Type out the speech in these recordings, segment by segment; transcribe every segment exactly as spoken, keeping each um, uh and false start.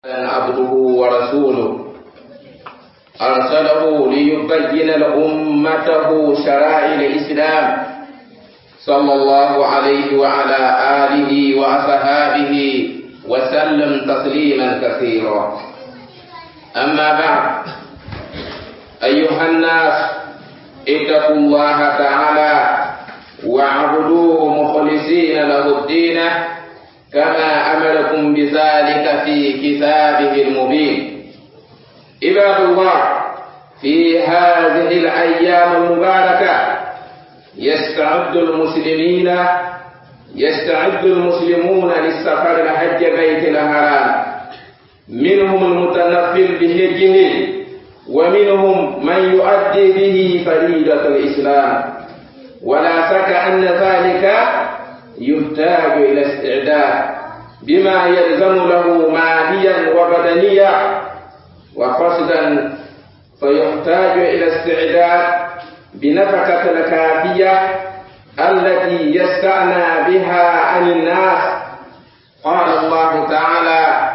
عبده ورسوله أرسله ليبين لأمته شرائع الإسلام صلى الله عليه وعلى آله وأصحابه وسلم تسليما كثيرا. أما بعد، أيها الناس، اتقوا الله تعالى واعبدوه مخلصين له الدين كما أمركم بذلك في كتابه المبين. عباد الله، في هذه الأيام المباركة يستعد المسلمين يستعد المسلمون للسفر لحج بيت الحرام، منهم المتنفل بحجه ومنهم من يؤدي به فريضة الإسلام، ولا شك أن ذلك يحتاج إلى استعداد بما يلزم له ماليا وبدنيا وقصدا، فيحتاج إلى استعداد بنفقة الكافية التي يستعنى بها عن الناس. قال الله تعالى: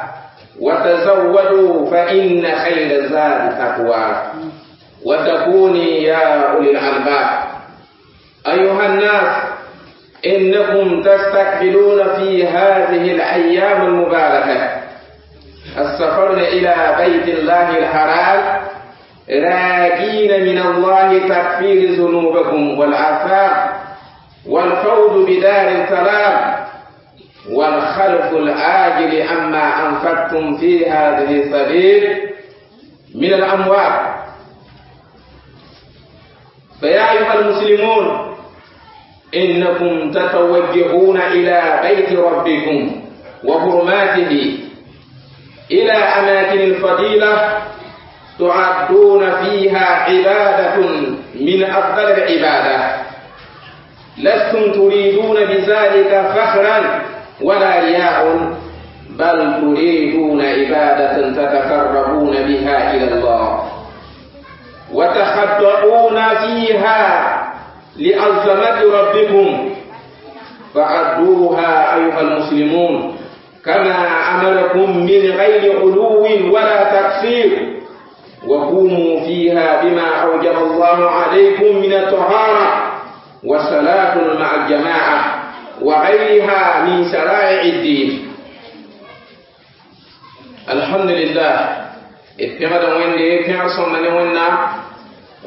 وتزودوا فإن خير الزاد التقوى وتكوني يا أولي الألباب. أيها الناس، إنكم تستقبلون في هذه الأيام المباركة السفر إلى بيت الله الحرام راجين من الله تكفير ذنوبكم والآثام والفوز بدار السلام والخلف الآجل عما أنفقتم في هذه السبيل من الأموال. فيا أيها المسلمون، إنكم تتوجهون إلى بيت ربكم وحرماته، إلى أماكن الفضيلة تعدون فيها عبادة من أفضل العبادة، لستم تريدون بذلك فخرا ولا رياء، بل تريدون عبادة تتقربون بها إلى الله وتخضعون فيها لعظمة ربكم. فأدوها أيها المسلمون كما أمركم من غير غلو ولا تقصير، وقوموا فيها بما أوجب الله عليكم من الطهارة والصلاة مع الجماعة وغيرها من شرائع الدين. الحمد لله، اتبعد وين كان صمنا وين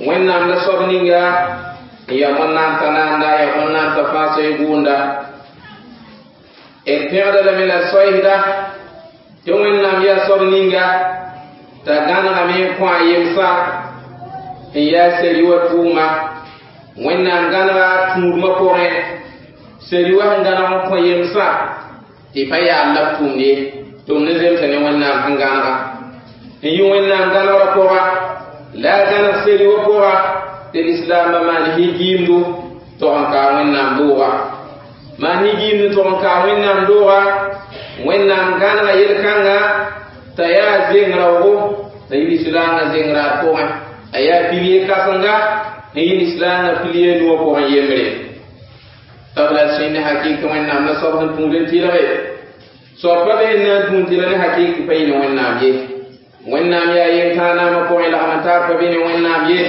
وين نصبنيا ya wẽnnaam t'a naanda ya wẽnnaam t'a fãa soe gũunda d pẽgda lame la soɛɛsda tɩ wẽnnaam yaa soab ninga t'a gãnegame n kõ a yemsã n yaa seri wa tʋʋma. Wẽnnaam gãnega tũudmã pʋgẽ seri wa sẽn gãneg n kõ yemsã tɩ pa yaa la b tʋʋmd ye tɩ b ne zemsa ne wẽnnaam sẽn gãnega n yɩ wẽnnaam gãnegrã pʋga la a gãneg seri wa pʋga tɩ lislaambã maan higiimdo tog n kaa wẽnnaam dooga maan higiimdo tog n kaa wẽnnaam dooga. Wẽnnaam gãnega yel-kãnga t'a yaa zeng raoogo t'a yɩ lislaangã zeng raad pʋgẽ, a yaa pilie kãsenga n yɩ lislaangã pilie nuwã pʋgẽ yembre. T'a b la sẽnd ne hakɩk wẽnnaam la soab sẽn tũud n tɩlge soab pa be n na n tũud tɩla ne hakɩk pa yɩ ne wẽnnaam ye. Wẽnnaam yaa yem-tãag naamã pʋgẽ lagm n taar pa be ne wẽnnaam ye.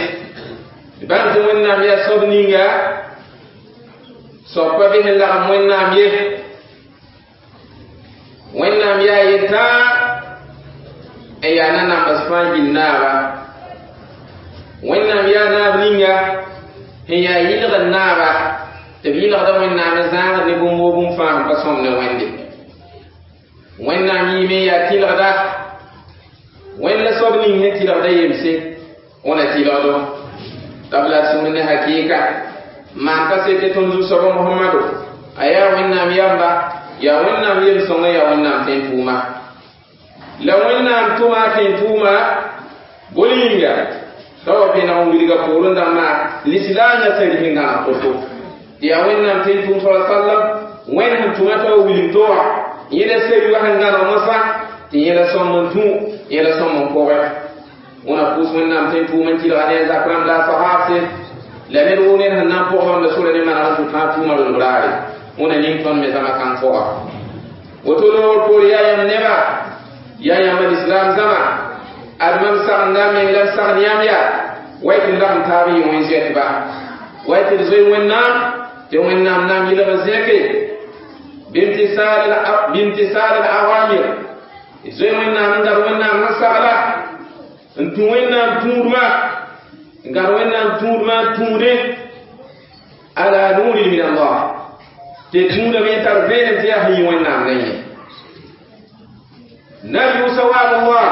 Bãmb tɩ wẽnnaam yaa soab ninga soab pa be sẽn lagm wẽnnaam ye. Wẽnnaam yaa yel-tãag n yaa nanambs fãa gill naaba. Wẽnnaam yaa naab ninga sẽn yaa yɩlgd naaba tɩ b yɩlgda wẽnnaam n zãagd ne bũmb woo bũmb fãa sẽn pa sõm ne wẽnde. Wẽnnaam yɩɩme n yaa tɩlgda wẽnd la soab ning sẽn tɩlgda yemse wẽna tɩlgdo. T'a b la sũur ne hakɩɩka maan kasete tõnd zu-soaba Mohamado a yaa wẽnnaam yamba yaa wẽnnaam yem-sõngã yaa wẽnnaam tẽn-tʋʋma la wẽnnaam tʋma a tẽn-tʋʋma bol yĩnga t'a wa be nag n wilga poorẽ dãmbã lislaangã sari sẽn gãneg to-to tɩ yaa wẽnnaam tẽn-tʋʋm sa sallam wẽnd sẽn tʋma t'a wa wilg to wã yẽla sari wa sẽn gãneg mosã tɩ yẽla sõm n tũ yẽla sõm n pʋgẽ. Wẽna pʋʋs wẽnnaam tẽn-tʋʋm n tɩlga ne a zak rãmb la a sahaabse la ned woo ned sẽn na n pʋg bãmb la sora ne maneg n tʋ tãag tʋʋmã rolg raare wẽna ning tõnd me zãma kãng pʋga. Woto loogr poor yaa yãmb neba Ya yãmb lislaam zãma ad mam sagenda meng la m sagd yãmb yaa way tɩ d lagm taab n yɩ wẽn-zoɛtba way tɩ d zoe Wẽnnaam tɩ Wẽnnaam na n yɩlg n zẽke bimtisaal al-awamir d zoe Wẽnnaam n gad Wẽnnaam sẽn sagla n tũ Wẽnnaam tũudmã n gad Wẽnnaam tũudmã n tũudẽ ala nurin min Allah tɩ tũudame n tar vẽenem tɩ yaa sẽn yɩ Wẽnnaam ne yẽ narju sawab Allah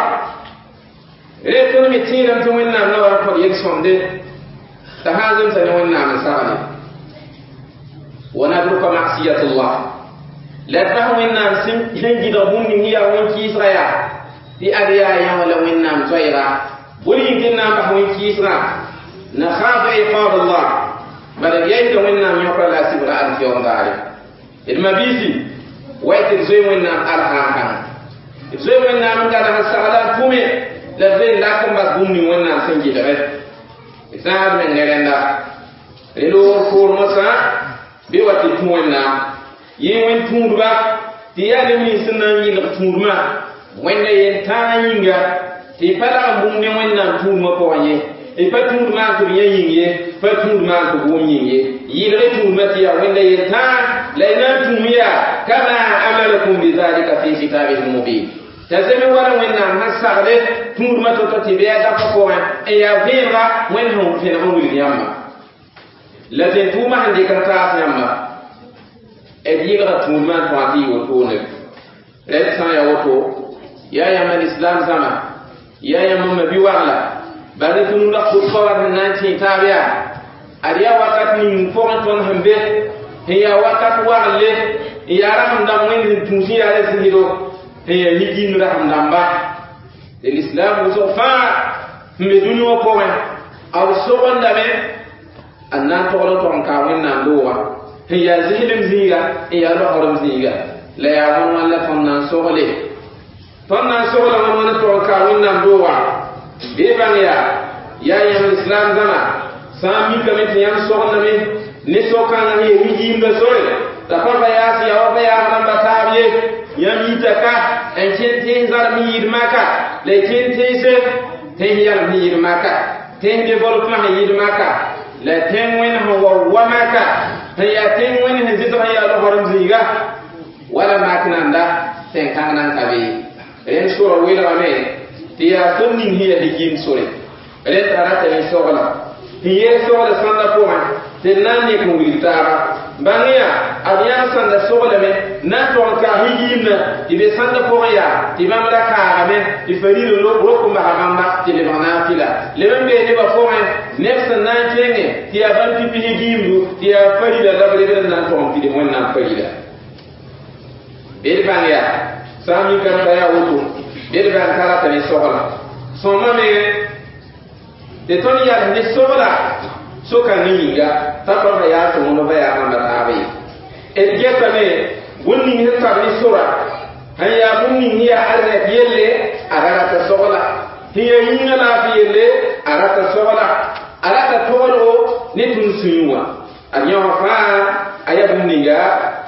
re tõnd me tẽedame tɩ Wẽnnaam na wa n kõt yel-sõmde t'a sã n zemsa ne Wẽnnaam n sagle wa nadruka masiyatullah la d bas Wẽnnaam sẽn gɩdg bũmb ning yaa wẽn-kɩɩsga yaa tɩ ad yaa yã wã la Wẽnnaam zoɛɛga bõe yĩng tɩ d na n bas wẽn-kɩɩsgã nakhafu iqab Allah bala d yaisda Wẽnnaam yõkra la a sɩbra alkiyom daare d mabiisi way tɩ d zoe Wẽnnaam alsãn-kãng d zoe Wẽnnaam n gad sẽn sagla n tʋme la d zoe n lak n bas bũmb ning Wẽnnaam sẽn gɩdge d zãad meng ne rẽnda rẽ loog poor mosã bɩ wa tɩ tũ Wẽnnaam yẽ wẽn tũudba tɩ yaa neb nins sẽn na n yɩlg tũudmã Wẽnda yen tãag yĩnga tɩ pa lagm bũmb ne Wẽnnaam tũudmã pʋgẽ ye y pa tũud maan tɩ b yã yĩng ye pa tũud maan tɩ b wʋm yĩng ye yɩlg tũudmã tɩ yaa Wẽnda yen tãag la y na n tũum yaa kama amarakum bizalika fi kitabihi lmubin t'a zeme wala Wẽnnaam sẽn sagle tũudmã to-to tɩ bɩ a dapa pʋgẽ n yaa vẽenega Wẽnd sẽn vẽneg n wilg yãmba la tɩ tʋʋmã sẽn dɩk n taas yãmba d yɩlga tũudmã n tõa tɩ yɩ wotone rẽnd sã n yaa woto yaa yãmb lislaam zãma yaa yãmb mabi-wagla bala tɩ nunda khutba wat sẽn na n tẽ taab yaa ad yaa wakat ning pʋgẽ tõnd sẽn be sẽn yaa wakat wagle n yaa rasem dãmb Wẽnd sẽn tũus n yaa zɩɩdo sẽn yaa ligimd rasem dãmba tɩ lislaam wʋsg fãa sẽn be dũni wã pʋgẽ b sogendame a na n togl n tog n kaa Wẽnnaam doogã sẽn yaa zɩslem zĩiga n yaa logsrem zĩiga la yaa wãn wãn la tõnd na n sogle tõnd na n sogla wãn wãn n tog n kaa Wẽnnaam doogã bɩ bãng yaa yaa yãmb lislaam zãma sã n mikame tɩ yãmb sogendame ne so-kãngã sẽn yaa wigiimdã sore t'a pa pa yaas yaa wa pa yaas rãmba taab ye yãmb yita ka n kẽn tẽns zarem sẽn yɩɩd maka la y kẽn tẽnse tẽns yalem sẽn yɩɩd maka tẽns développement sẽn yɩɩd maka la tẽng wẽnd sẽn wa wa maka sẽn yaa tẽng wẽnd sẽn zɩsg sẽn yaa logsrem zĩiga wala mak nanda tẽn-kãng nan ka be rẽnd sora welgame tɩ yaa sor ning sẽn yaa ligimd sore rẽnd t'a ratame sogla sẽn yeel sogla sãnda pʋgẽ tɩ d na n nek n wilg taaba bãng yaa ad yãmb sãnda soglame na n tog n kaa higiimdã tɩ be sãnda pʋgẽ yaa tɩ bãmb ra kaagame tɩ faril rok n basa bãmba tɩ lebg naafɩla leb n bee nebã pʋgẽ neb sẽn na n kẽngẽ tɩ yaa bãmb pipi higiimdu tɩ yaa farila la b lebd n na n tog n pids Wẽnnaam farila bɩ d bãng yaa sã n mikame t'a yaa woto bɩ d bãng t'a rata ne sogla sõma mengẽ tɩ tõnd yals ne sogla so-kãngã yĩnga t'a pa va yaa tɩ wõnd va yaa rãmba taaba ye d getame bũmb ning sẽn tar ne sora sẽn yaa bũmb ning sẽn yaa arzɛk yelle a ra rata sogla sẽn yaa yĩngã laafɩ yelle a rata sogla a rata toolgo ne tũud sũyẽ wã ad yãwã fãa a yaa bũmb ninga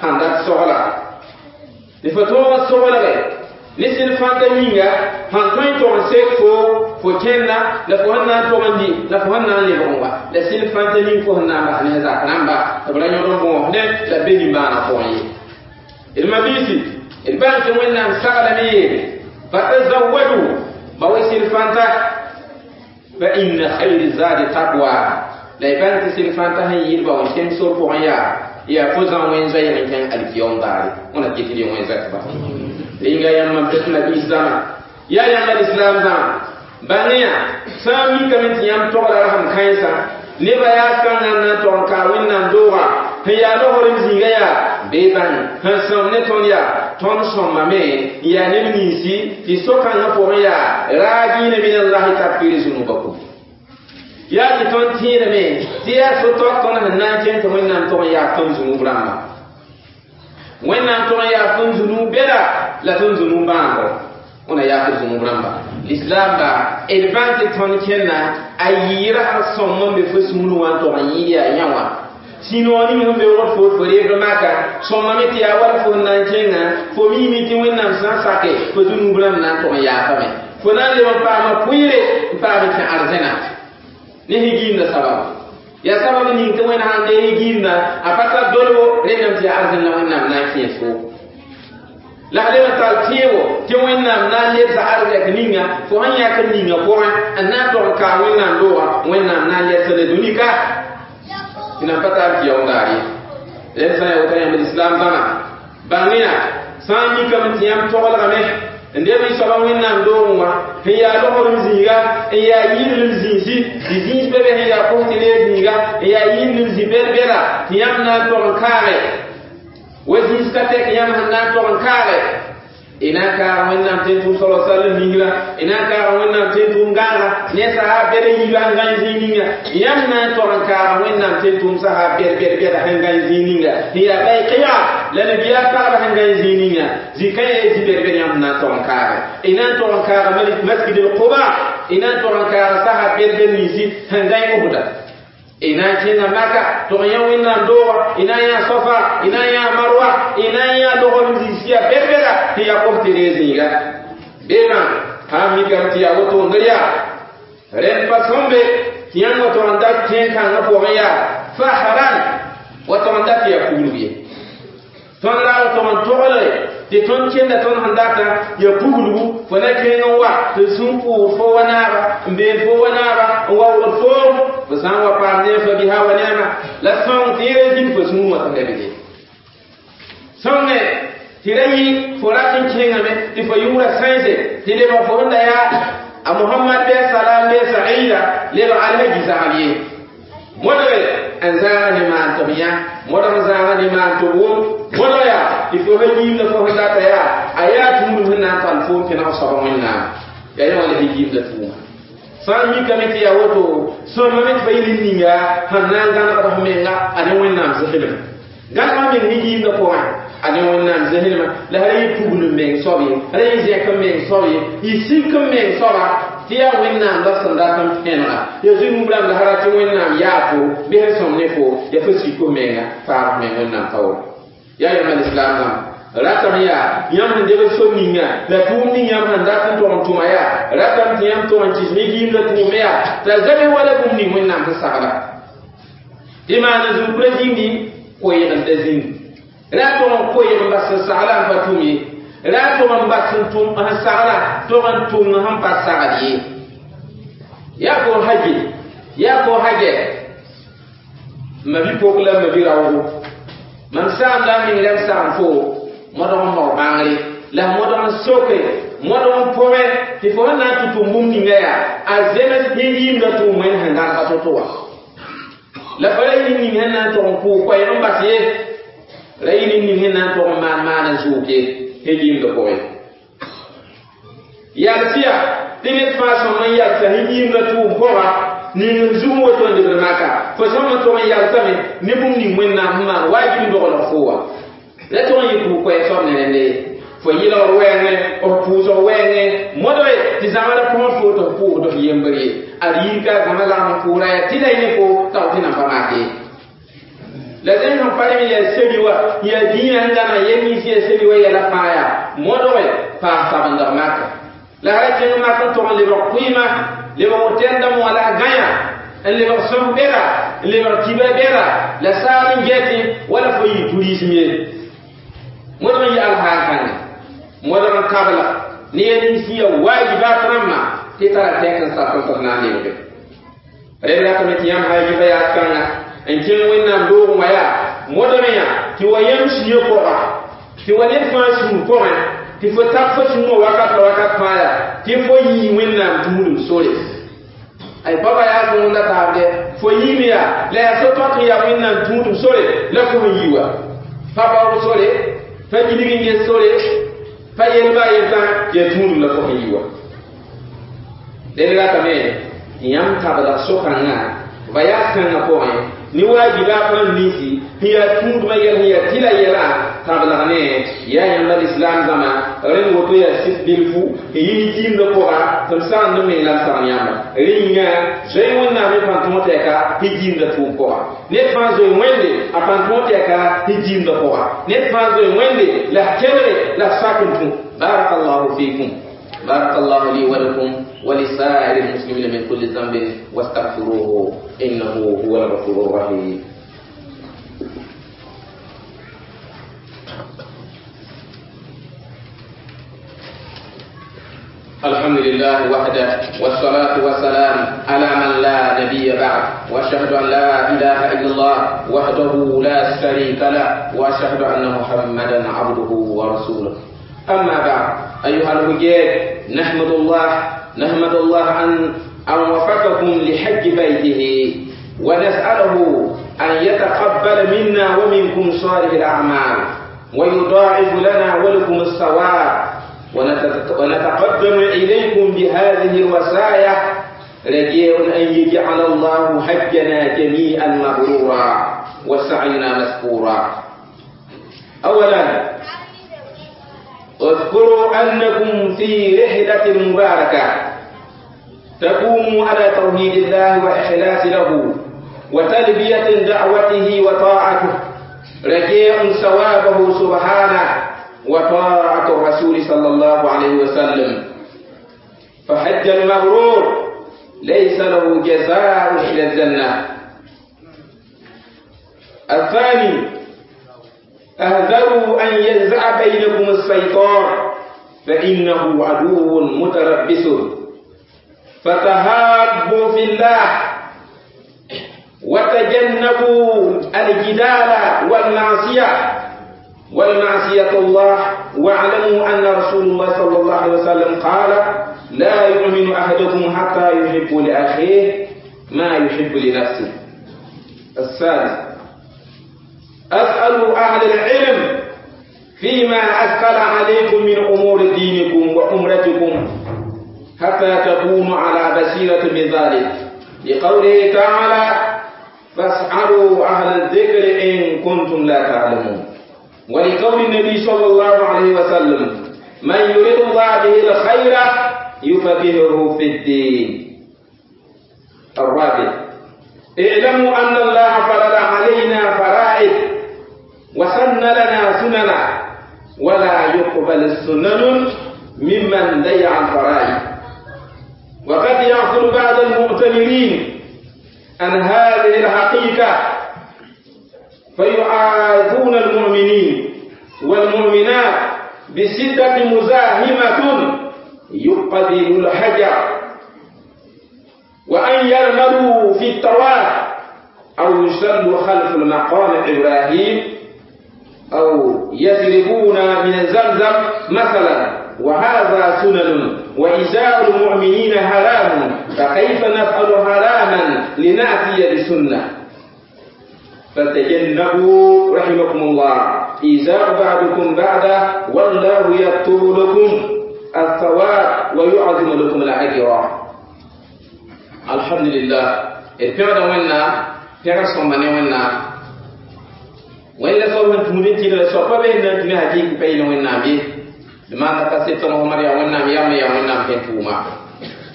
sãn dat sogla tɩ fo tõog n soglge ne sɩd fãnta yĩnga sãn tõe n tog n sek fo fo kẽnda la fo sẽn na n tog n dɩ la fo sẽn na n lebg n wa la sɩd fãnta ning fo sẽn na n bas ne zak rãmba tɩ b ra yõd n bõosdẽ la b be nimbãanã pʋgẽ ye d mabiisi d bãng tɩ Wẽnnaam saglame yeele fatazawadu ba we sɩd fãnta fa inna khayri zadi taqwa la y bãng tɩ sɩd fãnta sẽn yɩɩd ba wã kẽng sor pʋgẽ yaa yaa fo zã wẽn zoɛɛg n kẽng alkiyom daare wẽna kɩ tɩ d wẽn zoɛtba rĩnga yãmb mam tɩ nabiis zãma yaa yãmb lislaam zãma bãng yaa sã n mikame tɩ yãmb togla rasem kãensã nebã yaa kãngã n na n tog n kaa Wẽnnaam doogã sẽn yaa logsrem zĩiga yaa bee bãng sẽn sõm ne tõnd yaa tõnd sõmbame n yaa neb ninsi tɩ so-kãngã pʋgẽ yaa raagɩɩna min allahi takfiri zunubakum yaa tɩ tõnd tẽedame tɩ yaa so-taoog tõnd sẽn na n kẽng tɩ Wẽnnaam tog n yaaf tõnd zunub rãmba Wẽnnaam tog n yaaf tõnd zunub bɛda la tõnd zunub bãango wẽna yaaf d zunub rãmba lislaam ba d bãng tɩ tõnd kẽnna a yɩɩra sẽn sõm n be fo sũurẽ wã n tog n yɩɩd yaa yã wã Sĩnoog ning sẽn beoogd fo fo reebd maka sõmame tɩ yaa wala fo n na n kẽnga fo miime tɩ Wẽnnaam sã n sake fo zũnub rãmb na n tog n yaafame fo na n leb n paama pʋɩɩre n paam kẽ arzẽna ne higiimda sababu yaa sabab ning tɩ Wẽnd sãn dee higiimda a pa tar dolbo rẽndame tɩ yaa arzẽn la Wẽnnaam na n kẽes fo la leb n tar tẽebo tɩ Wẽnnaam na n lebsa arzɛk ninga fo sẽn yãk n ninga pʋgẽ n na n tog n kaag Wẽnnaam doogã Wẽnnaam na n lebsa le dũni ka tɩ nan pa tar tɩ yaoondaar ye rẽnd sã n ya woto yãmb lislaam dãmã bãng-yã sã n mikame tɩ yãmb toglgame n deb y soaba Wẽnnaam doogẽ wã sẽn yaa logr zĩiga n yaa yɩɩdlem zĩisi tɩ zĩis be be sẽn yaa kos tɩ reeg zĩiga n yaa yɩɩdlem zĩ bɛd-bɛda tɩ yãmb na n tog n kaage wa zĩis ka tɛk yãmb sẽn na n tog n kaage y na n kaaga Wẽnnaam tẽn-tʋʋm sala sallam ningra y na n kaaga Wẽnnaam tẽn-tʋʋm gãaga ne sahab bɛd n yiiba n gãe zĩig ninga yãmb na n tog n kaaga Wẽnnaam tẽn-tʋʋm sahab bɛd bɛd bɛda sẽn gãe zĩig ninga sẽn yaa bayqia la nabiyaa pagba sẽn gãe zĩig ninga zĩ-kã yaa zĩ bɛd bɛd yãmb na n tog n kaage y na n tog n kaaga masjid al-Quba y na n tog n kaaga sahab bɛd bɛd ninsi sẽn gãe Uhda y na n kẽnga Maka tog n yã Wẽnnaam doogã y na n yã Sofa y na n yã Marwa y na n yã logr zĩis yaa bɛd-bɛda sẽn yaa kos tɩ reeg zĩiga beemã sã n mikame tɩ yaa woto n yaa rẽnd pa sõmbe tɩ yãmb wa tog n dat kẽen-kãngã pʋgẽ yaa fahran wa tog n dat tɩ yaa puglg ye tõnd ra wa tog n togle tɩ tõnd kẽnda tõnd sẽn data yaa puglgu fo na kẽng n wa tɩ sũn pʋʋs fo wa naaba n been fo wa naaba n wa wʋgd foom fo sã n wa paam ne fa biha wa neema la sõng tɩ yẽ zĩnd fo sũur wã tɩ lebge sõnge tɩ ra yɩ fo rat n kẽngame tɩ fo yʋʋra sãense tɩ lebg fo sẽn da yaa a Mohamad bɩ a salam bɩ a saida lebg alhaji zagl ye modge n zãaga ne maan tɩ b yã modg n zãaga ne maan tɩ b wʋm modg yaa tɩ fo sẽn yiimda fo sẽn data yaa a yaa tũudum sẽn na n tall foom pẽneg soaba Wẽnnaam yaa yẽ wã la higiimda tʋʋma sã n mikame tɩ yaa woto sõmame tɩ fa yɩl n ninga sẽn na n gãnegd f menga a ne Wẽnnaam zẽslem gãnegã meng higiimda pʋgẽ a ne Wẽnnaam zẽslema la ra yɩ pugl n meng soab ye ra yɩ zẽk n meng soab ye y sik n meng soaba tɩ yaa Wẽnnaam la sẽn dat n pẽnega ya zũnub rãmb la ra tɩ Wẽnnaam yaa fo bɩ sẽn sõm ne fo ya fo sik f menga faag f meng Wẽnnaam taoor yaa yãmb lislaam dãmb ratame yaa yãmb sẽn debd so ninga la tʋʋm ning yãmb sẽn dat n tog n tʋma yaa ratame tɩ yãmb tog n kɩs higiimda tʋʋme yaa t'a zabe wala bũmb ning Wẽnnaam sẽn sagla tɩ maan zũkra zĩndi koeegda zĩndi ra tog n koeeg n bas n sagla n pa tʋm ye ra tog n bas n tʋm n sagla tog n tʋm sẽn pa sagl ye yaa fo haje yaa fo hajɛ ma bi-pok la ma bi-raoogo mam saamda n meng la m sagm fo modg n mao bãngre la modg n soke modg n pʋgẽ tɩ fo sẽn na n tɩ tʋm bũmb ninga yaa a zems yĩmda tʋʋm wẽnd sẽn gãnega to-to wã la fa ra yɩl ning sẽn na n tog n kʋʋ koɛɛg n bas ye ra yɩl ning sẽn na n tog n maan maan n zʋʋk ye sẽn yĩmda pʋgẽ yalsɩya tɩ ned fãa sõm n yalsa sẽn yĩmda tʋʋm pʋga ning n zug n woto n lebd maka fo sõm n tog n yalsame ne bũmb ning Wẽnnaam sẽn maan waajib n doglg fo wã la tog n yɩ pʋʋg koɛɛg soab ne rẽnde ye fo yɩlgr wɛɛngẽ f pʋʋsg wɛɛngẽ modge tɩ zãma la põs fo tɩ f pʋʋsd f yembr ye ad yir ka zãma lagm n pʋʋra yaa tɩ la yẽ fo tag tɩ nan pa maak ye la zẽn sẽn pa rẽ yaa seli wa yaa dĩinã sẽn gãneg yɛl nins yaa seli wa yɛla fãa yaa modge paas sabendg maka la ra kẽng mak n tog n lebg kʋɩɩma lebg tẽndame wã la gãyã n lebg sõs bɛda n lebg kiba bɛda la saal n gɛtẽ wala fo yɩ tourisme ye modg n yɩ alhaal kãngã modg n tabla ne ya nins ya wajibat rãmbã tɩ tara tɛk n sat n tɩ f na n lebge rẽnd ratame tɩ yãmb sã yiba yaas kãnga n kẽng Wẽnnaam doogẽ wã yaa modg yã tɩ wa yãmb sũyã pʋga tɩ wa ned fãa sũur pʋgẽ tɩ fo tab fo sũurã wakat la wakat fãa yaa tɩ fo yii Wẽnnaam tũudum sore ay baba yaa zũunda taabde fo yiime yaa la yaa so-tõk n yaa Wẽnnaam tũudum sore la fo sẽn yi wa pa baood sore pa gilg n ges sore pa yelba a yetã yaa tũudum la fo sẽn yi wa dẽnd ratame tɩ yãmb tabdg so-kãngã va yaas kãngã pʋgẽ ne waajibaat rãmb ninsi sẽn yaa tũudmã yɛl sẽn yaa tɩla yɛlã tablgne ya yãmba lislaam zãma rẽnd woto yaa sɩd bilfu n yɩ jiimdã pʋga tɩ m sagend n meng la m sagn yãmba rẽ yĩnga zoe wẽnnaam y pãn tõog tɛka tɩ jiimdã tʋʋm pʋga ned fãa zoe wẽnde a pãn tõog tɛka tɩ jiimdã pʋga ned fãa zoe wẽnde la f kelge la f sak n tũ barakallahu fikum barakallahu li wa lakum ولسائر المسلمين من كل ذنب واستغفروه إنه هو الغفور الرحيم. الحمد لله وحده والصلاة والسلام على من لا نبي بعد وأشهد أن لا إله إلا الله وحده لا شريك له وأشهد أن محمدا عبده ورسوله. أما بعد أيها الحجاج نحمد الله نحمد الله أن أن وفقكم لحج بيته ونسأله أن يتقبل منا ومنكم صالح الأعمال ويضاعف لنا ولكم الثواب ونتقدم إليكم بهذه الوصايا رجاء أن يجعل الله حجنا جميعا مبرورا وسعينا مشكورا. أولا اذكروا أنكم في رحلة مباركة تقوم على توحيد الله وإخلاص له وتلبية دعوته وطاعته رجاء ثوابه سبحانه وطاعة الرسول صلى الله عليه وسلم. فحج المبرور ليس له جزاء إلى الجنة. الثاني احذروا أن ينزع بينكم الشيطان فإنه عدو متربص فتهابوا في الله وتجنبوا الجدال والمعصية والمعصية الله. واعلموا أن رسول الله صلى الله عليه وسلم قال لا يؤمن أحدكم حتى يحب لأخيه ما يحب لنفسه. الثالث أسألوا أهل العلم فيما أثقل عليكم من أمور دينكم وأمرتكم حتى تكونوا على بصيرة من ذلك لقوله تعالى فاسألوا أهل الذكر إن كنتم لا تعلمون. ولقول النبي صلى الله عليه وسلم من يريد الله به الخير يفقهه في الدين. الرابع اعلموا أن الله فرض علينا فرائض وسن لنا سننا ولا يقبل السنن ممن ضيع الفرائض. وقد يغفل بعض المؤتمرين عن هذه الحقيقة فيعاذون المؤمنين والمؤمنات بشدة مزاحمة يقبل الحجر وأن يرملوا في الطواف أو يصلوا خلف المقام إبراهيم أو يشربون من زمزم مثلا، وهذا سنن وإزاء المؤمنين حرام، فكيف نفعل حراما لنأتي بسنة؟ فتجنبوا رحمكم الله إزاء بعضكم بعدا والله يكتب لكم الثواب ويعظم لكم الأجر. الحمد لله. الفعل ونا فعل صمنا ونا وين صوم تمرين تيرا صوبا بين تني هجيك بين ونا بي لما تكسيت محمد يا ونا يا يا ونا بين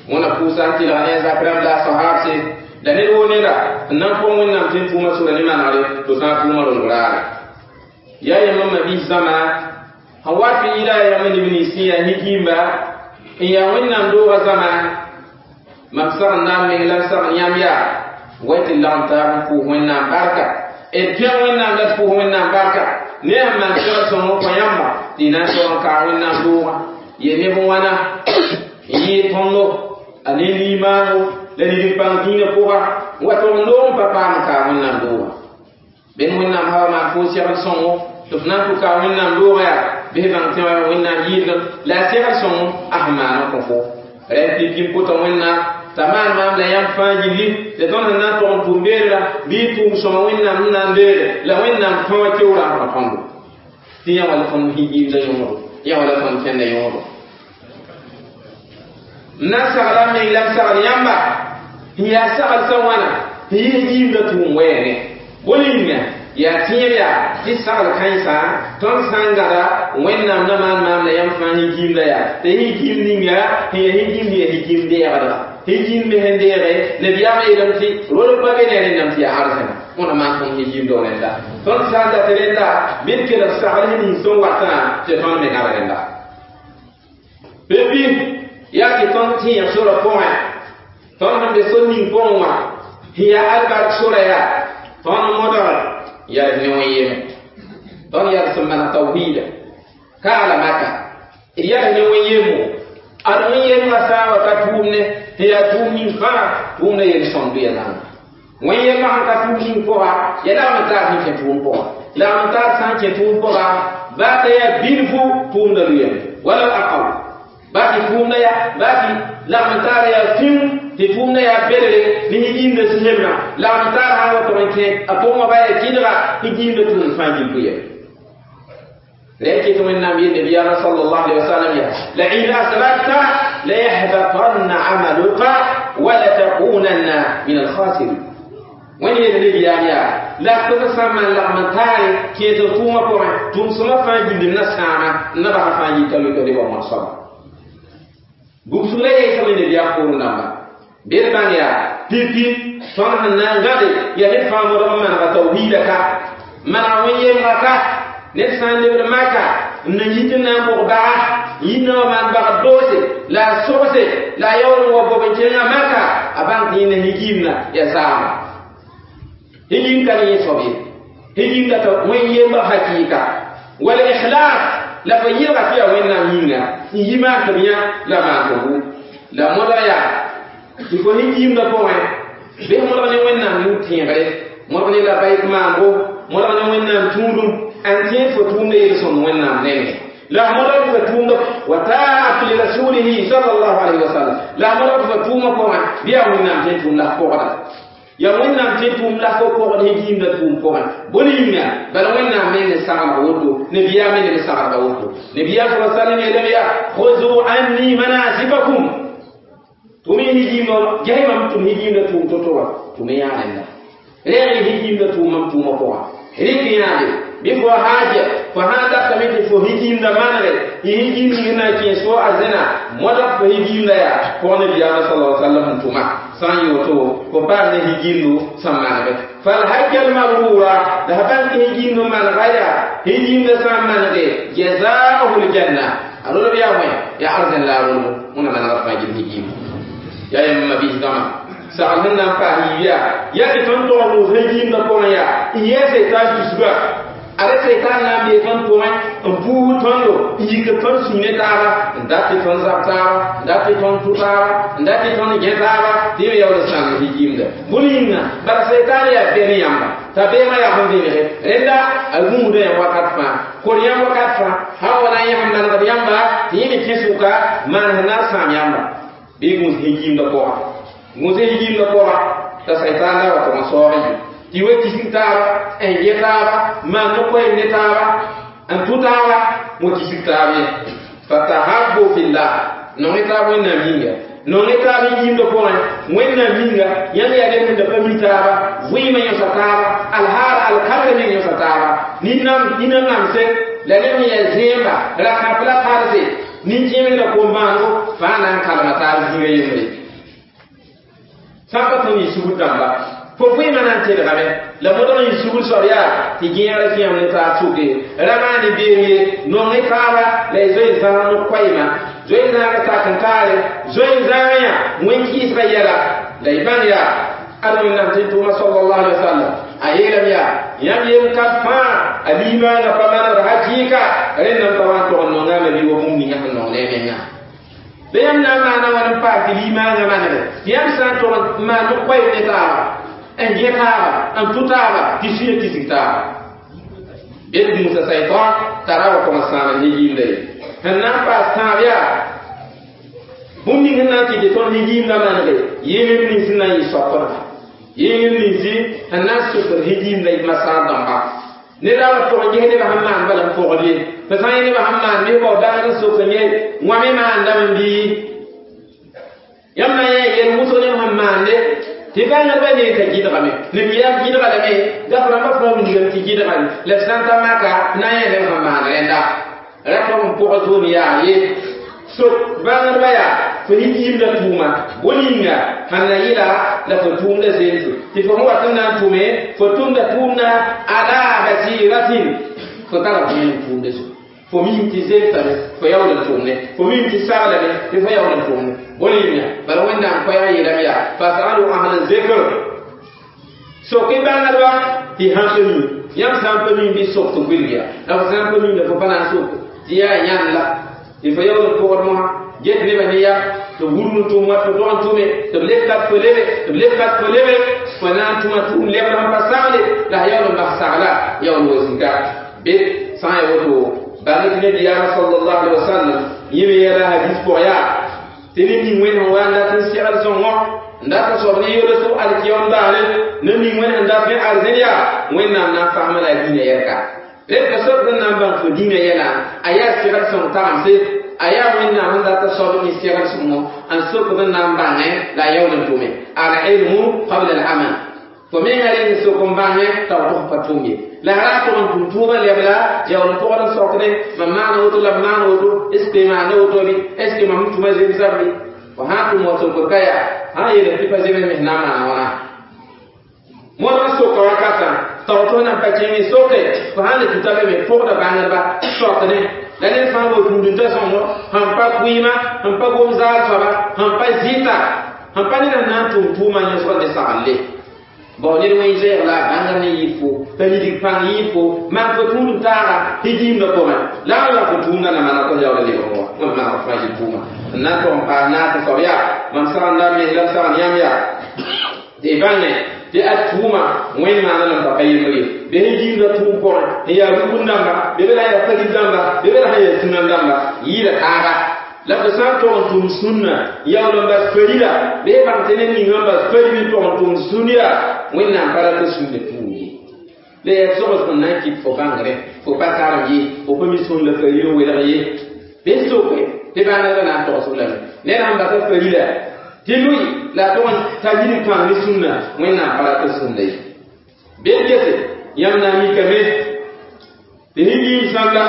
wẽna pʋʋsa n tɩlg ne a zak rãmb la a sahaab se la ned woo neda n na n põng wẽnnaam tɩ n tʋʋmã sora ne manegre tɩ sã n tʋʋmã rong raare yaa yãmb n mabiis zãma sẽn wa tɩ yɩla a yãmb neb nins sẽn yaa nin-kĩimba n yaa wẽnnaam doogã zãma mam sagenda n meng la n sagn yãmb yaa way tɩ lagem taab n pʋʋs wẽnnaam barka d pẽg wẽnnaam la d pʋʋs wẽnnaam barka ne sẽn maan segl sõng n kõ yãmba tɩ y na n tog n kaa wẽnnaam doogã ye neb n wãna n yɩɩd tõndo a ne nimaango la nid-n-pãng dĩinã pʋga n wa tog n loog n pa paam n kaa wẽnnaam doogã ben wẽnnaam hawa maan fo segl sõngo tɩ f na n tʋ kaa wẽnnaam doogã yaa bɩs bãng tẽ wã wẽnnaam yɩɩdgem la a segl sõngo a sẽn maan n kõ fo rẽnd pipi n pʋta wẽnnaam t'a maan maam la yãmb fãa yĩngi tɩ tõnd sẽn na n tog n tʋm beelra bɩ tʋʋm sõma wẽnnaam sẽn na n beele la wẽnnaam fãa wã keoorã n kõ tõndo tɩ yã wala tõnd yĩngda yõodo yã wala tõnd kẽnda yõodo n na n sagla n meng la n sagl yãmba n yaa sagl sã wãna n yɩs yĩmda tʋʋm wɛɛngẽ bõe yĩnga yaa tẽeb yaa tɩ sagl kãensã tõnd sã n gãda wẽnnaam na maan maam la yãmb fãa higiimda yaa tɩ higiim ninga sẽn yaa higiim yaa higiim deegdga higiim me sẽn deege nabiyaamã yeelame tɩ rol pa be ne rẽndame tɩ yaa arzẽna wẽna maan tõnd higiimd rẽnda tõnd sã n dat rẽnda bɩ d kelg sagl sẽn nins sẽn watã tɩ tõnd me gãd rẽnda pipi yaa tɩ tõnd tẽeg sora pʋgẽ tõnd sẽn be sor ning pʋgẽ wã sẽn yaa albark sora yaa tõnd modg yɛls ne wẽn-yeme tõnd yɛls sẽn maneg tawhiida kaala maka d yɛls ne wẽn-yemmo ad wẽn-yemgã sã n wa ka tʋʋmne tɩ yaa tʋʋm ning fãa tʋʋmda yel-sõmd ya zãnga wẽn-yemã sẽn ka tʋʋm ning pʋga ya lagm n taar sẽn kẽ tʋʋm pʋga lagm n taar sã n kẽ tʋʋm pʋga baa t'a yaa bilfu tʋʋmda luyame wala aqal baa tɩ tʋʋmda yaa baa tɩ lagm n taara yaa fĩu tɩ tʋʋmda yaa belre ne higiimda sẽmna lagm n taar sã n wa tog n kẽ a pʋgẽ wã baa yaa kɩdga higiimda tʋʋm fãa gil pʋyame لكن من النبي صلى الله عليه وسلم لئن أسركت ليحبطن عملك ولتكونن من الخاسرين وين النبي يا لا تسمى لغمتاري كي تقوم بوين تم سما فان جند نسانا نبا فان يتلو تلو وما صبا بوسولة يسمى النبي يقول نما بيربانيا بيبي صنع نانغادي يا نفهم رمان توحيدك من وين يمك ned sã n lebd maka n na yit n na n bʋg baga yit na wa maan bag doose la a sogse la a yaool n wa bob n kẽngã maka a bãng tɩ yẽnda higiimda yaa saama higiim ka ne yẽ soab ye higiimda t'a wẽn-yemba hakɩɩka wala ikhlas la fa yɩlga tɩ yaa wẽnnaam yĩnga n yi maan tɩ b yã la maan tɩ bu la modg yaa tɩ fo higiimda pʋgẽ bɩs modg ne wẽnnaam yũ-tẽegre modg ne labayk maango modg ne wẽnnaam tũudum an tẽed fo tʋʋmda yel-sõmd wẽnnaam nengẽ la modg fa tʋʋmda wa taat li rasulihi sallallahu alayhi wa sallam la modg fa tʋʋmã pʋgẽ bɩ yaa wẽnnaam tẽn tʋʋm la f pʋgda ya wẽnnaam tẽn tʋʋm la fo pʋgd higiimda tʋʋm pʋgẽ bõn yĩnga bala wẽnnaam me ne saglg woto nabiyaam me ne saglga woto nabiyaam sa sallam yeelame yaa khuzu anni manasikakum tʋm y higiimda ges mam tʋm higiimda tʋʋm to-to wã tʋm y yaa rẽnda rẽeg y higiimda tʋʋm mam tʋʋmã pʋgã rɩk yãade bɩ fo haaja fo sã n datame tɩ fo higiimda manege y higiim ning na n kẽes fo arzẽna modg fo higiimda yaa pʋg nabiyaamã sala sallam sẽn tʋma sã n yɩ woto fo paam ne higiimdo sẽn manege falhajja almabrura la f bãng tɩ higiimd n manega yaa higiimda sã n manege jazauhu ljanna a rolb yaa wẽ yaa arzẽn la a rolbo wẽna manegd fãa gil higiimdo yaa yãmb mabiis dãmã sagl sẽn na n paas yiib yaa yaa tɩ tõnd tog n wʋs higiimdã pʋgẽ yaa n yɛɛ seitan tusga ada seitan na n bee tõnd pʋgẽ n puusd tõndo n yik tõnd sũ ne taaba n dat tɩ tõnd zab taaba n dat tɩ tõnd tʋ taaba n dat tɩ tõnd gẽ taaba tɩ yẽ yaool n sãng higiimda bõn yĩnga bala seitan yaa bɛ ne yãmba t'a beemã yaa sẽn vẽnege rẽnda a gũusda yãmb wakat fãa kor yãmb wakat fãa sã n wa na n yãsem manegd yãmba tɩ yẽ me kẽ sʋka maan sẽn na n sãam yãmba bɩ gũus higiimdã pʋga gũus higiimdã pʋga t'a seitan la wa tog n saoog yɩ tɩ wa kisg taaba n gẽ taaba maan no-koɛɛm ne taaba n tʋ taaba wã kisg taab ye fatahabbu fillah nong taab wẽnnaam yĩnga nong taab yiimdã pʋgẽ wẽnnaam yĩnga yãmb yaa ned sẽn da pa mi taaba vɩɩmã yõsa taaba alhaar alkalga meng yõsa taaba nina namse la ned sẽn yaa zẽemba rakãp la tarse nin-kẽemd la kom-bãango fãa na n kalma taab zĩiga yembre sã n pa tõnd yɩ sugr dãmba fo vɩɩmã na n telgame la modg n yɩ sugr soab yaa tɩ gẽegrã kẽem ne taab sʋke ra maane beem ye nong taaba la y zoe n zãag no-koɛɛma zoe n zãaga tak n kaare zoe n zãag yã wẽn-kɩɩsgã yɛla la y bãng yaa ad wẽnnaam tɩ tʋʋma sallallahu alaihi wasallam a yeelame yaa yãmb yem ka fãa a liimaangã pa manegd hakɩɩka rẽnd n pa wa n tog n nongame bɩ wa bũmb ninga sẽn nong ne a menga la yãmb na n maana wãn n paas tɩ liimaangã manege tɩ yãmb sã n tog n maan no-koɛɛm ne taaba n gẽ taaba n tʋ taaba tɩ sũyã kisg taaba bed gũusa saitan t'a ra wa tog n sãam n higiimda ye sẽn na n paas tãab yaa bũmb ning sẽn na n tɩ tɩ tõnd higiimdã manege yɩɩlem nins n na n yɩ soapdba yɩɩlem ninsi sẽn na n sʋkd higiimdã masaar dãmba ned a wa tog n ges nebã sẽn maan bala n pʋgd ye tɩ sã n yẽ nebã sẽn maan bɩ bao daag n sok n ye wã me maandame bɩ yãmb na n yã yɛl wʋsg neb sẽn maande Tɩ bãngdbã ne t'a gɩdgame nabiyaam gɩdga lame gaf rãmbã fãa wilgame tɩ gɩdga la f sã n ta maka na n yã neb sẽn maan rẽnda ra tog n pʋgã zoom yaa ye sok bãngdbã yaa fo yimda tʋʋma bõe yĩnga sãn na yɩla la fo tʋʋmda zemse tɩ fo sẽn wat n na n tʋme fo tʋmda tʋʋmda ala basiratin fo tara vẽenem tʋʋmda zugu fo mim tɩ zemsame fo yaool n tʋmne fo mim tɩ saglame tɩ fo yaool n tʋmne bõe yĩnga bala wẽnnaam koɛɛg yeelame yaa fasalu ahla zikr sok-y bãngdba tɩ sãn pa mi yãmb sã n pa mi bɩ sok tɩ wilg ya la fo sã n pa minda fo pa na n sok tɩ yaa yãnd la tɩ fo yaool n pʋgd mosã get nebã ne ya tɩ b wurg n tʋm wa tɩ tog n tʋme tɩ b leb kat fo lebe tɩ b leb kat fo lebe fo na n tʋma tʋʋm lebd sẽn pa sagle la a yaool n bas sagla yaool wa zĩka be sã n ya woto bãng tɩ nabiyaamã sallallahu alaihi wasallam yẽ me yɛla hadis pʋg yaa tɩ ned ning wẽnd sẽn wa n dat n segl sõngɔ n dat n soab ne yolsg alkiyom daare ned ning wẽnd sẽn dat ne arzẽn yaa wẽnnaam na n fasma la a dĩinã yɛlka rẽ ka soab sẽn na n bãng fo dĩinã yɛla a yaa segl sõng tagemse a yaa wẽnnaam sẽn dat n soab ne segl sõngo n sokd n na n bãngẽ la a yaool n tʋme al-ilmu qabla al-amal fo menga reng sok n bãngẽ t'a b tʋg pa tʋm ye la ra tʋg n tʋm tʋʋmã lebla yaool n pʋgd n sokdẽ mam maana woto la m maan woto est ce que maana woto bɩ est ce que mam tʋma zemsam bɩ fo sã n tʋm wa sokd ka yaa sã n yeelame tɩ pa zems mes na n maana wãna modg n soka wakatã tao tɩ f nan pa kẽng soke fo sãn le tuta be me pʋgda bãngdba sokdẽ la ned fãa wa tũudẽ sõngo sẽn pa kʋɩɩma sẽn pa gom zaal soaba sẽn pa zɩta sẽn pa ned sẽn na n tʋm tʋʋmã yẽsg ne saglle bao ned wẽn zɛɛg la a bãngr ne yɩ fo t'a yidig pãng yɩ fo maan fo tũudem taaga tɩ gĩimdã pʋgẽ la n la fo tũumdã na mana tɩ yaool lebg wã wẽnd maag fãa yɩ tʋʋma n na n tog n paas naas n soab yaa mam sagenda m mens la m sagn yãmb yaa tɩ y bãnge tɩ a tʋʋma wẽnd maana lam pa pa yembr ye be sẽn gĩimdã tʋʋm pʋgẽ n yaa rugr dãmba be be la yaa farid dãmba be be la sẽn yaa sũna dãmba yɩɩda taaba la fo sã n tog n tʋm sũnna yaool n bas farila bee bãng tɩ ned ning n bas fari n tog n tʋm sũn yaa wẽnnaam pa rat sũnna pʋʋg ye la yaa sogs sẽn na n kɩt fo bãngre fo pa karem ye fo pa mi sũn la faril n welg ye bɩ soke tɩ bãngdbã na n togsg lame ned sẽn basa farila tɩ lʋɩ la a tog n ta yidig pãng ne sũnna wẽnnaam pa rat sũnna ye bɩ d gese yãmb na n mikame tɩ sẽn yĩm sãnda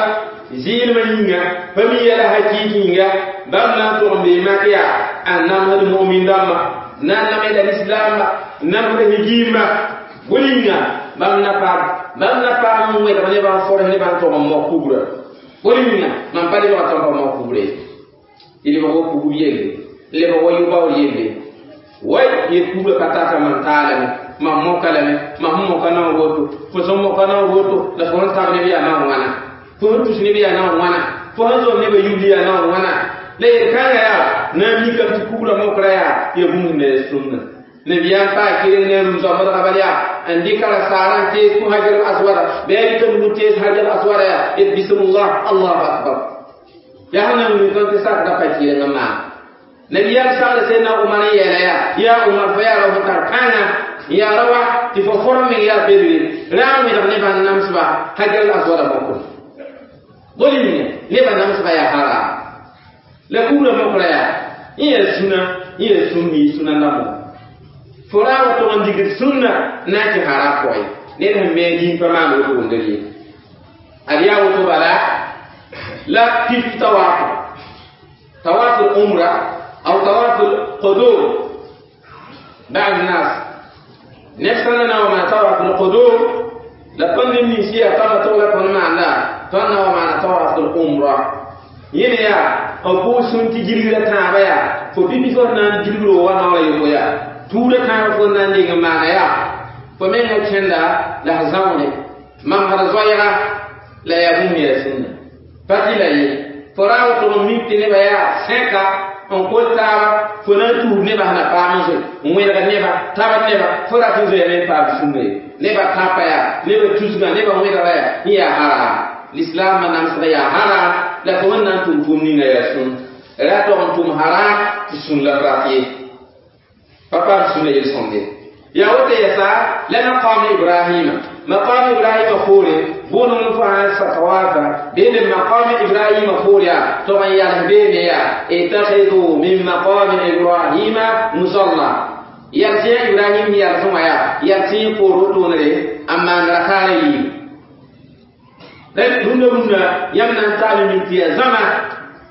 zɩɩlmã yĩnga pa mi yɛla hakɩɩk yĩnga bãmb na n tog n bee mak yaa a namsd mumin dãmba na n namsda lislaamba namsd higiimba bõe yĩnga bãmb na paam bãmb na paam n wẽdg nebã n fors nebã n tog n mok kubrã bõe yĩnga mam pa lebga tõnd pa mok kubrã ye tɩ lebg wa kugb yelle lebg wa yʋ-baoor yelle way yel kubrã pa tata mam taalame mam moka lame mam sẽn moka naoor woto fo sẽn moka naoor woto la fo sẽn tab neb yaa naoor wãna fo sẽn tus neb yaa naoor wãna fo sẽn zom nebã yubl yaa naoor wãna la yel-kãngã yaa na n mikame tɩ kubrã mokra yaa ya bũmb sẽn na ya sũnna nabiyaam paa kɩreng ne rũm zoambdga bal yaa n dɩka ra saarã n tees kõ hajar aswada bɩ a dɩka nug n tees hajar aswada yaa et bismillah allahu akbar yaa sẽn na n wilg tɩ sakda pa kɩreng n maan nabiyaam sagl sẽdna Umar n yeela yaa yaa Umar fo yaa ra fo tar kãnga yaa ra wa tɩ fo form meng yaa bedre ra n wẽdg nebã n namsba hajar aswada mokr bõe yĩnga nebã namsba yaa haram la kubrã mokra yaa yẽ yaa sũna yẽ yaa sũn yɩ sũna ndãmbã fo ra wa tog n digd sũnna na n kẽ haram pʋgẽ ned sẽn me dĩn pa maan woto wʋmdr ye ad yaa woto bala la pif tawaaf tawaaf umra أو طواف القدوم بعض الناس نفسنا وما طواف القدوم لقد من شيء طواف تولى معنا طنا وما طواف العمرة ينيا أبو سنتي جريرة تابيا فبيبي فنان جريرة وانا ولا يبويا تورة تابا فنان ديغ معنا يا فمن كندا لحظاوني من هذا زويرة لا يبوم يا سنة فتلا يي فراو تميت نبيا سكا n kol taaba fo na n tuub nebã sẽn na paam n zoe n wẽlgd nebã tabd nebã fo rat n zoeame n paam sũnna ye nebã tãpa yaa nebã tusgã nebã wẽdga yaa yẽ yaa haram lislaamã namsga yaa haram la fo sẽn na n tʋm tʋʋm ninga yaa sũn ra tog n tʋm haram tɩ sũn la rat ye pa paam sũnna yel-sõmde yaa woto yɛsa la maqam Ibrahima maqam Ibrahima poore bõe fo sã n tawafa beene maqam Ibrahima poore yaa tog n yals beene yaa ittakhidhu min maqami Ibrahima musalla yal tɩ Ibrahim yalsẽ wã yaa yal tɩ poor wotone n maan rakaara yiib rũndã rũndã yãmb na n taal min tɩ yaa zãma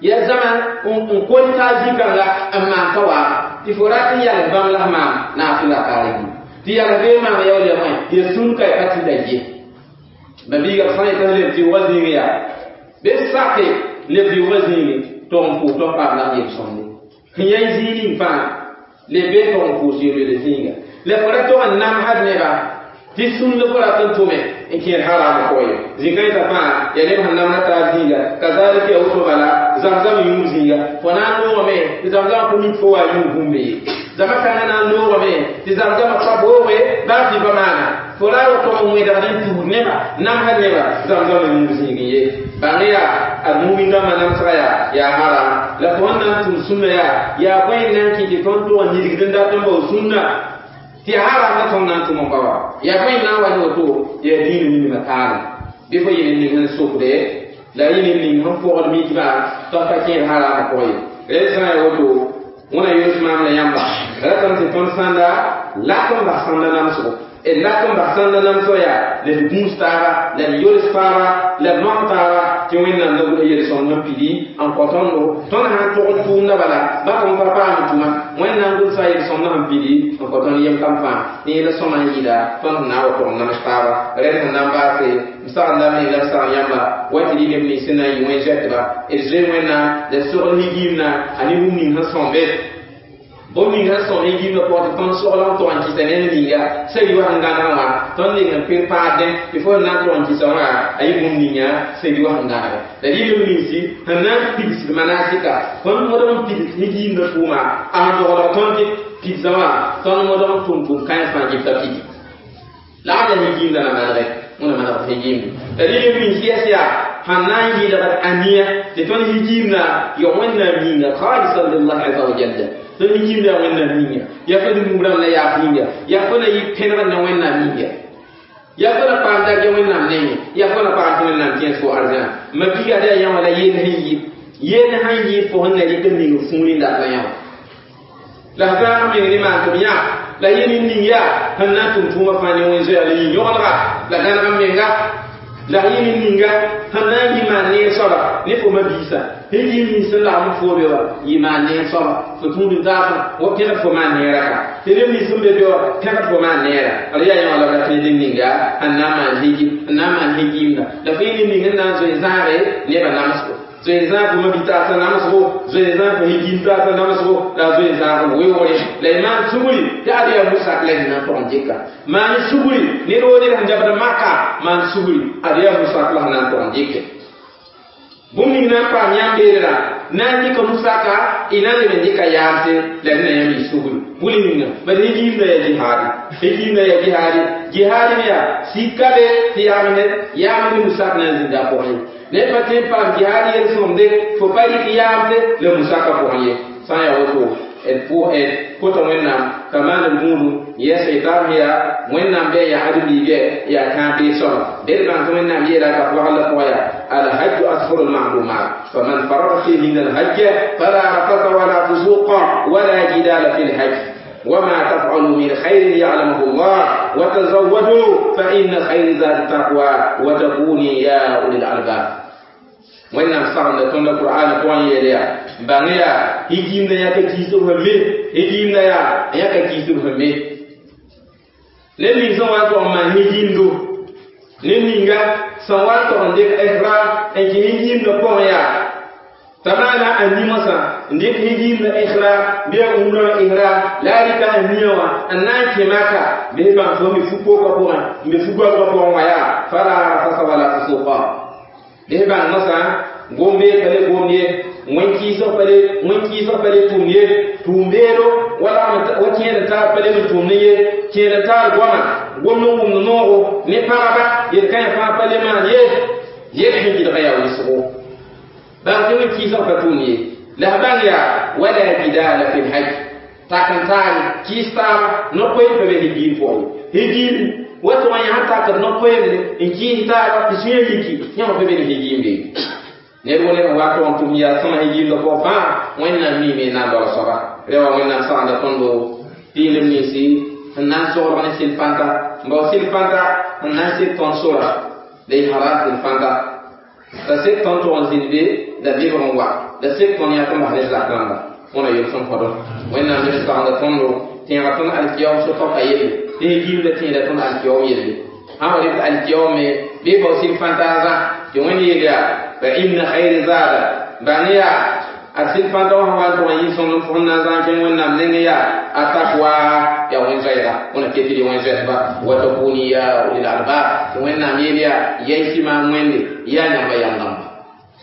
yaa zãma n kol taa zĩ-kãnga n maan ka wa tɩ fo rat n yals bãmb la f maan naafɩ rakaara yiib tɩ yals bee maam ya wala ya bõe ya sũn ka ya pa tɩ la ye ba biiga b sã n yetɩ leb tɩ yʋgã zĩig yaa bɩ sake leb yʋgã zĩigi tog n pʋʋs tɩ paam la yel-sõmde sẽn yã zĩig ning fãa leb bee tog n pʋʋs yel-wele zĩiga la fo ra tog n namsd neba tɩ sũnd fo rat n tʋme n kẽer haram pʋgẽ ye zĩ-kãensã fãa yaa neb sẽn namda taab zĩiga kazalika ya woto bala zam-zam yũud zĩiga fo na n loogame tɩ zam-zam pʋ mik fo wa yũud bũmbe ye zama kãngã na n loogame tɩ zam-zamã pa booge baa tɩ pa maana fo ra wa tog n wẽdgd n tuud neba namsd neba zam-zam yũud zĩig ye bãng yaa a mumin dãmbã namsga yaa yaa haram la fo sẽn na n tʋm sũnna yaa yaa bõe n na n kɩ tɩ tõnd tʋg n nidgd n dat n bao sũnna tɩ haram la tõnd na n tʋm n pa wa yaa bõe n na n wa ne woto yaa diinã ninimã taale bɩ fo yɩ ning sẽn sokde la yɩ ning sẽn pʋgd mikbã tɩ pa kẽed haramã pʋgẽ ye rẽnd sã n yaa woto wẽna yoos maam la yãmba ratame tɩ tõnd sãnda lak n bas sãnda namsgo d lak n bas sãnda namsg yaa la d gũus taaba la d yols taaba la d noam taaba tɩ wẽnnaam la gʋls yel-sõng n pidi n kõ tõndo tõnd sã n tʋgd tʋʋmdã bala ba tõnd pa paam tʋma wẽnnaam gʋlsa yel-sõmdã sẽn pidi n kõ tõnd yem kam fãa ne yẽla sõma n yɩɩda tõnd sẽn na n wa tʋg n nams taaba rẽnd sẽn na n baase m sagndame la m sagn yãmba wa tɩ rɩ neb nins sẽn na n yɩ wẽn-zɛtba d zoe wẽnnaam la d sogl higiimna a ne bũmb ning sẽn sõmbe bũmb ning sẽn sõm higiimdã pʋgẽ tɩ tõnd sogl n tʋg n kɩsa ned ninga sã yi wa sẽn gãneg wã tõnd ning n pɩr paadẽ tɩ fo sẽn na n tʋg n kɩsa wã a yɩ bũmb ninga sã yi wa sẽn gãnege la rɩ neb ninsi sẽn na n pigsd manasika tõnd modg n pigs higiimdã tʋʋma a sẽn doglg tõnd tɩ pigsã wã tõnd modg n tʋm tʋm kãens fãa gɩta pigi la a la higiimdã na manege wẽna maneg higiimde la rɩ neb nins yɛs yaa sẽn na n yɩlgd ania tɩ tõnd higiimdã ya wẽnnaam yĩnga khalisan lillahi aza wa jalla tõnd higiimda yaa wẽnnaam yĩnga yaa fo dũnug rãmb la yaaf yĩnga yaa fo na yɩ pẽnegd ne wẽnnaam yĩnga yaa fo na paam darja wẽnnaam nengẽ yaa fo na paam tɩ wẽnnaam kẽes fo arzãna ma biga da yã wã la yeel sẽn yɩ yeel sãn yɩ fo sẽn na rɩk n ning fũuri n dat la yã wã la f zãag meng ne maan tɩ b yã la yẽ ning ning yaa sẽn na n tʋm tʋʋmã fãa ne wẽn-zoɛɛg la yĩn-yõgenega la gãneg n menga la yẽ ning ninga sẽn na n yɩ maan neer soaba ne fo mabiisã higiim nins sẽn lagm fo be wa yɩ maan neer soaba fo tũud n taasã wa pẽgd fo maan neerã ka tɩ neb nins sẽn be be wa pẽgd fo maan neera d yaa yã wã la b rat ne ning ninga sẽn na n maan higi n na n maan higiimda la fo yẽ ning ning n na n zoe zãage nebã namsgo zoe zãag fo mabi-taasã namsgo zoe zãag fo higiim taasã namsgo la zoe zãag b weoogre la y maan sugri tɩ ad yaa musak la sẽn na n tog n dɩka maan sugri ned woo ned sẽn zabd maka maan sugri ad yaa musak la sẽn na n tog n dɩke bũmb ning na n paam yãmb beelra na n dɩka musaka y na n leb n dɩka yaamse la rẽna yãmb y sugri bʋl ninga bad higiimdã yaa jihaadi higiimdã yaa jihaadi jihaadi me yaa sika be tɩ yaamsd yaamd musak na n zĩnda a pʋgẽ ye ned pa tõe n paam jihaad yel-sõmde fo pa rɩk yaamse la musaka pʋgẽ ye sã n yaa woto d pʋ d kota wẽnnaam ka maan d gũudum yɛs y taab sẽn yaa wẽnnaam bɩ yaa ãdem-biig yaa kãab beeg soaba bed bãng tɩ wẽnnaam yeela ka pʋgl la pʋgã yaa alhajju ashhuru lma'lumat faman faraga fihinna alhajj fala rafasa wala fusuqa wala jidala fi lhajj وما تفعلوا من خير يعلمه الله وتزودوا فإن خير زاد التقوى وتكوني يا أولي الألباب wẽnnaam sagenda tõnd qur'an pʋgẽ yeel yaa bãng yaa higiimdã yãka kiisb sẽn me higiimdã yaa yãka kiisb sẽn me ned ning sẽn wa n tog n maan higiimdo ned ninga sẽn wa n tog n dɩk ihram n kẽ higiimdã pʋgẽ yaa t'a maana a nimosã n dɩk higiimdã ihram bɩ a umrã ihram la a rɩka a nia wã n na n kẽ maka bɩ bãng fo me fu-kookã pʋgẽ n be fu-goabgã pʋgẽ wã yaa fala rafasa wala fusuqa bɩ bãng mosã gombe pa le gomd ye wẽn-kɩɩsg pa le wẽn-kɩɩsg pa le tʋmd ye tʋʋm-beedo wala wa kẽed n taab pa le n tʋmd ye kẽed n taar goama gomd n wʋmd noogo ne pagba yel-kãyã fãa pa le maan ye yel sẽn gɩdga yaa wʋsgo bãng tɩ wẽn-kɩɩsg pa tʋmd ye la f bãng yaa wala jidala fi lhaj tak n taal kɩɩs taaba no-koeem pa be higiim pʋgẽ higiim wa tɩ wã yã takd no-koeemde n kɩɩs taaba tɩ sũyã yiki yãmb pa be ne higiimde ned wo ned n wa tog n tʋm yaa sõma higiimdã pʋgẽ fãa wẽnnaam miime n na n daoog soaba rẽ wã wẽnnaam sagenda tõndo Piilem ninsi sẽn na n soglg ne sɩl fãnta n bao sɩl fãnta sẽn na n sek tõnd sora la y haram sɩl fãnta la sek tõnd tʋg n zĩnd be la lebg n wa la sek tõnd yãk n bas ne zak rãmba wẽna yel-sõm kõdo wẽnnaam neb sagenda tõndo tẽega tõnd alkiyaoom so-tɔka yelle tɩ giimda tẽeda tõnd alkiyaoom yelle sã wa rɩt alkiyaoom me bɩ bao sɩl fãnta a zã tɩ wẽnd yeel yaa fa inna khayri zaada bãng yaa a sɩl fãnta wã sã wa n tʋg n yɩ sõmblem fo sẽn na n zã n kẽng wẽnnaam nengẽ yaa a takwa yaa wẽn-zoɛɛga wẽna ket tɩ wẽn-zoɛɛsba wa takuni ya ulil albab tɩ wẽnnaam yeel yaa yaɩ maam wẽnde yaa yãmba yam dãmba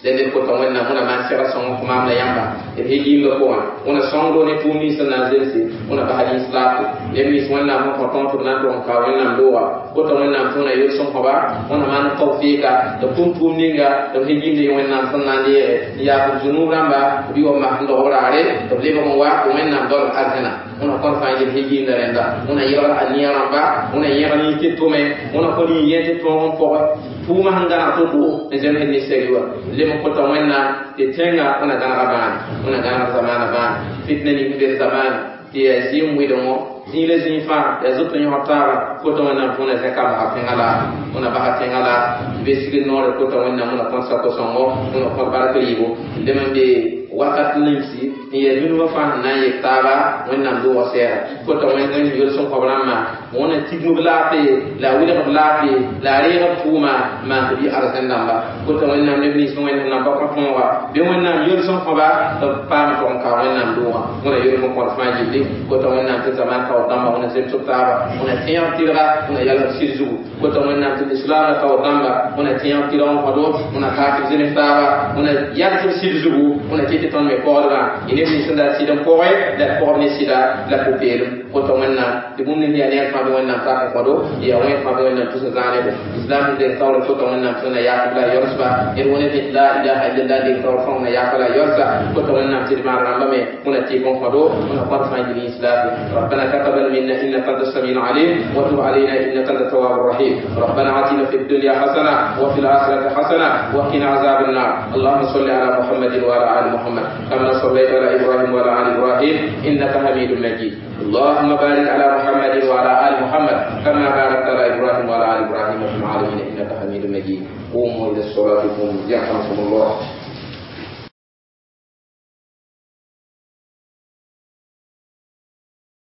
la ned kota wẽnnaam wẽna maan sɛga sõng kõ maam la yãmba d he giimdã pʋgã wẽna sõngdo ne tʋʋm nins sẽn na n zemse wẽna bas lislaafo neb nins wẽnnaam sẽn kõ tõog tɩ b na n tʋg n ka wẽnnaam dooga kota wẽnnaam tɩ wẽna yel-sõm kõba wẽna maan tawfɩɩka tɩ b tʋm tʋʋm ninga tɩ b he giimd wẽnnaam sẽn na n leege n yaas b zunub rãmba b yʋ mas n dog b raare tɩ b lebg n wa tɩ wẽnnaam daolb arzẽna wẽna kõn fãa yel he giimdã rẽnda wẽna yelgr a nia rãmba wẽna yẽg yĩ tɩ tʋme wẽna kõ yĩ yẽ tɩ tõog n pɔgɛ tʋʋmã sẽn gãneg to-to n zemsd ne sɛri wa lem n kota wẽnnaam tɩ tẽngã wẽna gãnega bãane wẽna gãneg zamaana bãane fitna ning sẽn be zamaana tɩ yaa zɩɩm wɩdengõ zĩig la zĩig fãa yaa zoet n yõsg taaba kota wẽnnaam tɩ wẽna zẽka basa tẽngã la wẽna basa tẽngã la be sigd noore kota wẽnnaam wẽna kõt sako-sõngo wẽna kõt bark rɩɩbo lem n be wakat nimsi n yaa dũnigã fãa sẽn na n yek taaba wẽnnaam doogã sɛɛga kota wẽnd yel-sõm kõb rãmbã wẽna tigm b laafɩ la a wilg b laafɩ la a reeg b tʋʋma n maan tɩ b yɩ arzẽn dãmba kota wẽnnaam neb nins wẽnd sẽn na n pa kõ tõoga bɩ wẽnnaam yel-sõm kõba tɩ b paam tʋg n ka wẽnnaam doogã wẽna yel-sõm kõd fãa yelle kota wẽnnaam tɩ zaman kao dãmba wẽna zemsg taaba wẽna tẽeg tɩrga wẽna yalsb sɩd zugu kota wẽnnaam tɩ lislaamã kao dãmba wẽna tẽeg tɩrg n kõdo wẽna kaak b zems taaba wẽna yalsb sɩd zugu wẽna kɩ tɩ tõnd me pɔgdgã y neb nins sẽn dat sɩd n pɔgɛ la d pɔgb ne sɩda la pʋ-peelem kota wẽnnaam tɩ bũmb nins yaa neer fãa bɩ wẽnnaam tak n kõdo yaa wẽn fãa bɩ wẽnnaam tus n zãanebo islam sẽn deng taoor kota wẽnnaam tɩ na yaak la yorsba d wẽna tɩ la ilaha illallah deng taoor fãa wẽna yaaka la yorsa kota wẽnnaam tɩ d maan rãmba me wẽna tɩk n kõdo wẽna kõd fãa yil islaam ربنا تقبل منا انك انت السميع العليم وتب علينا انك انت التواب الرحيم ربنا اتنا في الدنيا حسنه وفي الاخره حسنه وقنا عذاب النار اللهم صل على محمد وعلى ال محمد كما صليت على ابراهيم وعلى ال ابراهيم انك حميد مجيد اللهم بارك على محمد وعلى ال محمد كما باركت على ابراهيم وعلى ال ابراهيم في العالمين انك حميد مجيد قوموا الى الصلاه قوموا يرحمكم الله.